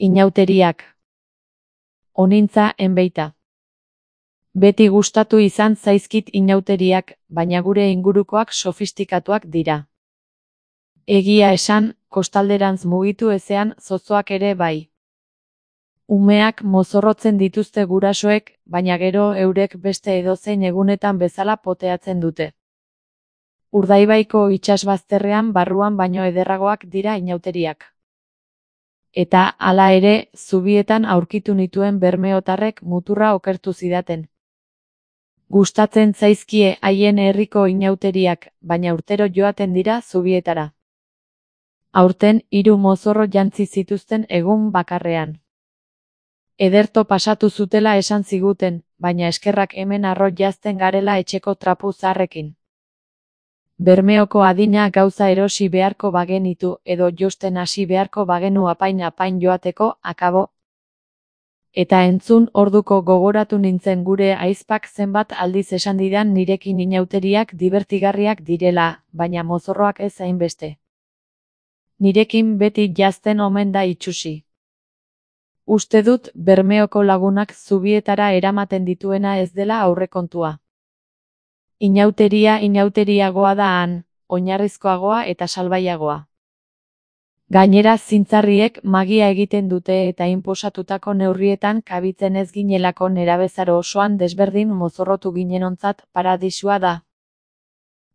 Inauteriak. Onintza enbeita. Beti gustatu izan zaizkit inauteriak, baina gure ingurukoak sofistikatuak dira. Egia esan, kostalderantz mugitu ezean zozoak ere bai. Umeak mozorrotzen dituzte gurasoek, baina gero eurek beste edozein egunetan bezala poteatzen dute. Urdaibaiko itsasbazterrean barruan baino ederragoak dira inauteriak. Eta, hala ere, zubietan aurkitu nituen bermeotarrek muturra okertu zidaten. Gustatzen zaizkie haien herriko inauteriak, baina urtero joaten dira zubietara. Aurten 3 mozorro jantzi zituzten egun bakarrean. Ederto pasatu zutela esan ziguten, baina eskerrak hemen harro jazten garela etxeko trapu zaharrekin. Bermeoko adina gauza erosi beharko bagenitu edo josten hasi beharko bagenu apain joateko, akabo. Eta entzun orduko gogoratu nintzen gure ahizpak zenbat aldiz esan didan nirekin inauteriak dibertigarriak direla, baina mozorroak ez hainbeste. Nirekin beti jazten omen da itsusi. Uste dut Bermeoko lagunak zubietara eramaten dituena ez dela aurrekontua. Inauteriagoa da han, oinarrizkoagoa eta salbaiagoa. Gainera zintzarriek magia egiten dute eta inposatutako neurrietan kabitzen ez ginelako nerabezaro osoan desberdin mozorrotu ginenontzat paradisua da.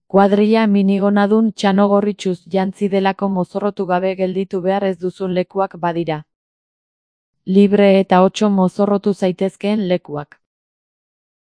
Kuadrilla minigonadun txanogorritxuz jantzi delako mozorrotu gabe gelditu behar ez duzun lekuak badira. Libre eta otso mozorrotu zaitezkeen lekuak.